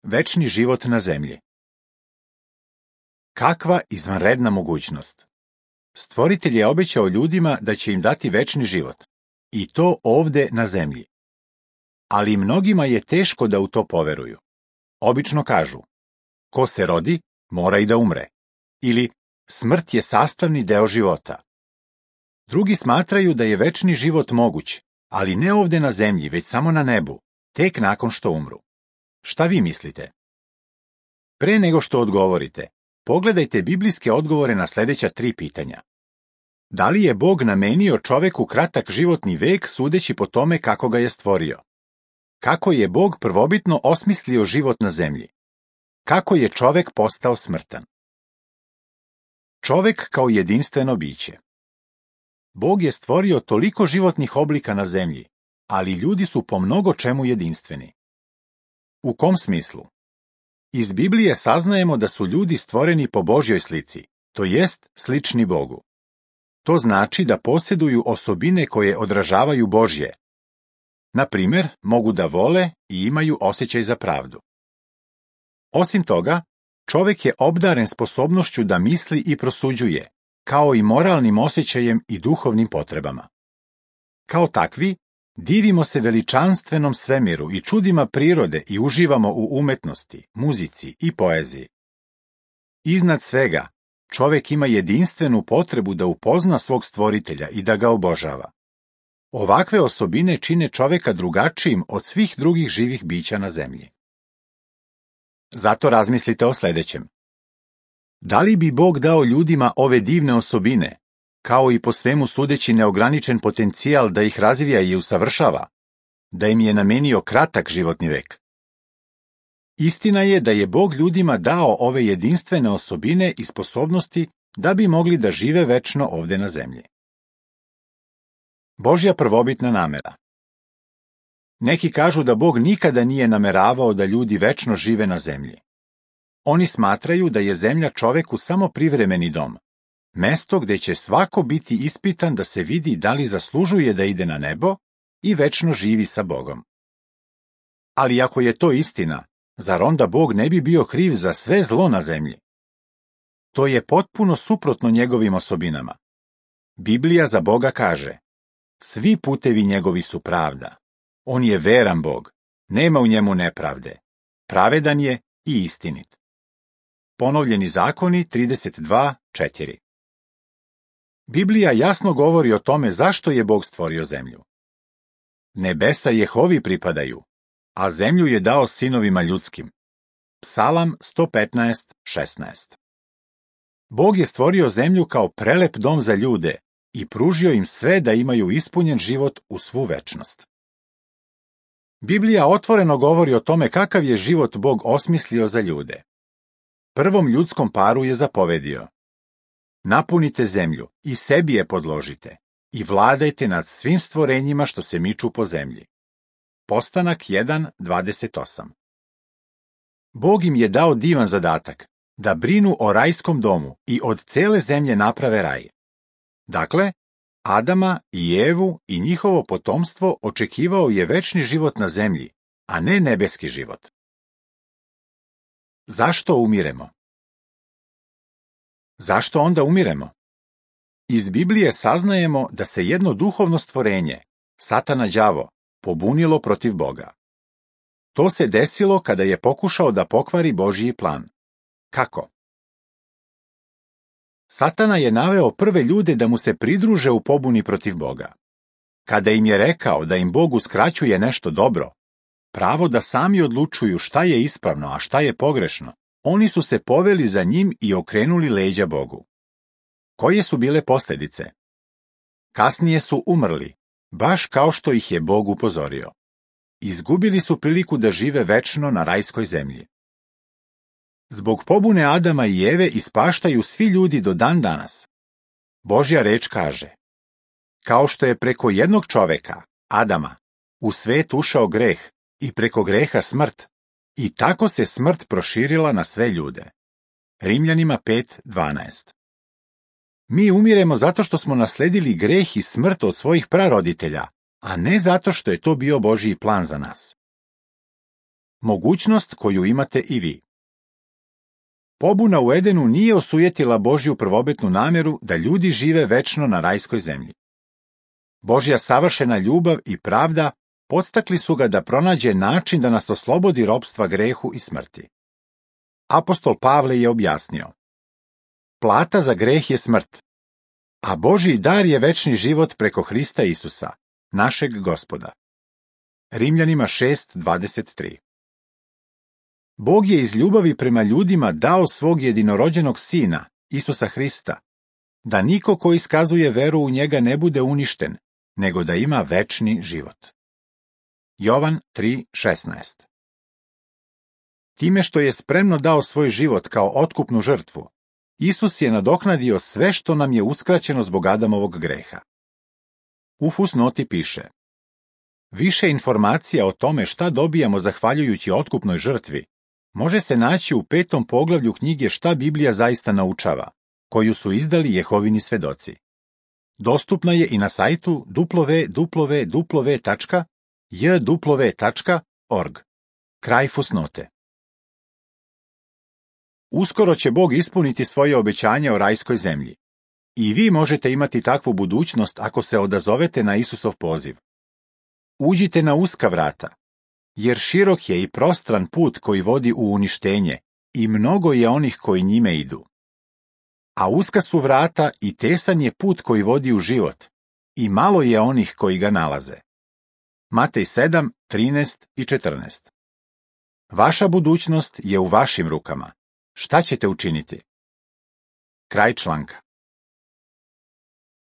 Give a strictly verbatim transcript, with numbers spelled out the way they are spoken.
Večni život na zemlji. Kakva izvanredna mogućnost! Stvoritelj je obećao ljudima da će im dati večni život, i to ovde na zemlji. Ali mnogima je teško da u to poveruju. Obično kažu, ko se rodi, mora i da umre, ili smrt je sastavni deo života. Drugi smatraju da je večni život moguć, ali ne ovde na zemlji, već samo na nebu, tek nakon što umru. Šta vi mislite? Pre nego što odgovorite, pogledajte biblijske odgovore na sljedeća tri pitanja. Da li je Bog namenio čoveku kratak životni vek sudeći po tome kako ga je stvorio? Kako je Bog prvobitno osmislio život na zemlji? Kako je čovek postao smrtan? Čovek kao jedinstveno biće. Bog je stvorio toliko životnih oblika na zemlji, ali ljudi su po mnogo čemu jedinstveni. U kom smislu? Iz Biblije saznajemo da su ljudi stvoreni po Božjoj slici, to jest slični Bogu. To znači da posjeduju osobine koje odražavaju Božje. Na primjer, mogu da vole i imaju osjećaj za pravdu. Osim toga, čovek je obdaren sposobnošću da misli i prosuđuje, kao i moralnim osjećajem i duhovnim potrebama. Kao takvi, divimo se veličanstvenom svemiru i čudima prirode i uživamo u umetnosti, muzici i poeziji. Iznad svega, čovek ima jedinstvenu potrebu da upozna svog stvoritelja i da ga obožava. Ovakve osobine čine čoveka drugačijim od svih drugih živih bića na zemlji. Zato razmislite o sljedećem. Da li bi Bog dao ljudima ove divne osobine, kao i po svemu sudeći neograničen potencijal da ih razvija i usavršava, da im je namenio kratak životni vek? Istina je da je Bog ljudima dao ove jedinstvene osobine i sposobnosti da bi mogli da žive večno ovde na zemlji. Božja prvobitna namera. Neki kažu da Bog nikada nije nameravao da ljudi večno žive na zemlji. Oni smatraju da je zemlja čoveku samo privremeni dom, mesto gde će svako biti ispitan da se vidi da li zaslužuje da ide na nebo i večno živi sa Bogom. Ali ako je to istina, zar onda Bog ne bi bio kriv za sve zlo na zemlji? To je potpuno suprotno njegovim osobinama. Biblija za Boga kaže, svi putevi njegovi su pravda. On je veran Bog, nema u njemu nepravde. Pravedan je i istinit. Ponovljeni zakoni trideset dva četiri. Biblija jasno govori o tome zašto je Bog stvorio zemlju. Nebesa Jehovi pripadaju, a zemlju je dao sinovima ljudskim. Psalam sto petnaest šesnaest. Bog je stvorio zemlju kao prelep dom za ljude i pružio im sve da imaju ispunjen život u svu večnost. Biblija otvoreno govori o tome kakav je život Bog osmislio za ljude. Prvom ljudskom paru je zapovedio: napunite zemlju i sebi je podložite i vladajte nad svim stvorenjima što se miču po zemlji. Postanak jedan dvadeset osam. Bog im je dao divan zadatak da brinu o rajskom domu i od cele zemlje naprave raj. Dakle, Adama i Evu i njihovo potomstvo očekivao je večni život na zemlji, a ne nebeski život. Zašto umiremo? Zašto onda umiremo? Iz Biblije saznajemo da se jedno duhovno stvorenje, Satana đavo, pobunilo protiv Boga. To se desilo kada je pokušao da pokvari Božji plan. Kako? Satana je naveo prve ljude da mu se pridruže u pobuni protiv Boga. Kada im je rekao da im Bog uskraćuje nešto dobro, pravo da sami odlučuju šta je ispravno, a šta je pogrešno, oni su se poveli za njim i okrenuli leđa Bogu. Koje su bile posljedice? Kasnije su umrli, baš kao što ih je Bog upozorio. Izgubili su priliku da žive večno na rajskoj zemlji. Zbog pobune Adama i Eve ispaštaju svi ljudi do dan danas. Božja reč kaže: kao što je preko jednog čoveka, Adama, u svet ušao greh i preko greha smrt, i tako se smrt proširila na sve ljude. Rimljanima pet dvanaest. Mi umiremo zato što smo nasledili greh i smrt od svojih praroditelja, a ne zato što je to bio Božji plan za nas. Mogućnost koju imate i vi. Pobuna u Edenu nije osujetila Božju prvobitnu nameru da ljudi žive večno na rajskoj zemlji. Božja savršena ljubav i pravda podstakli su ga da pronađe način da nas oslobodi ropstva grehu i smrti. Apostol Pavle je objasnio: plata za greh je smrt, a Božji dar je večni život preko Hrista Isusa, našeg Gospoda. Rimljanima šest dvadeset tri. Bog je iz ljubavi prema ljudima dao svog jedinorođenog sina, Isusa Hrista, da niko ko iskazuje veru u njega ne bude uništen, nego da ima večni život. Jovan tri šesnaest. Time što je spremno dao svoj život kao otkupnu žrtvu, Isus je nadoknadio sve što nam je uskraćeno zbog Adamovog greha. U fusnoti piše: više informacija o tome šta dobijamo zahvaljujući otkupnoj žrtvi može se naći u petom poglavlju knjige Šta Biblija zaista naučava, koju su izdali Jehovini svedoci. Dostupna je i na sajtu w w w tačka j w tačka org. Kraj fusnote. Uskoro će Bog ispuniti svoje obećanje o rajskoj zemlji. I vi možete imati takvu budućnost ako se odazovete na Isusov poziv. Uđite na uska vrata, jer širok je i prostran put koji vodi u uništenje i mnogo je onih koji njime idu. A uska su vrata i tesan je put koji vodi u život i malo je onih koji ga nalaze. Matej sedam trinaest i četrnaest. Vaša budućnost je u vašim rukama. Šta ćete učiniti? Kraj članka.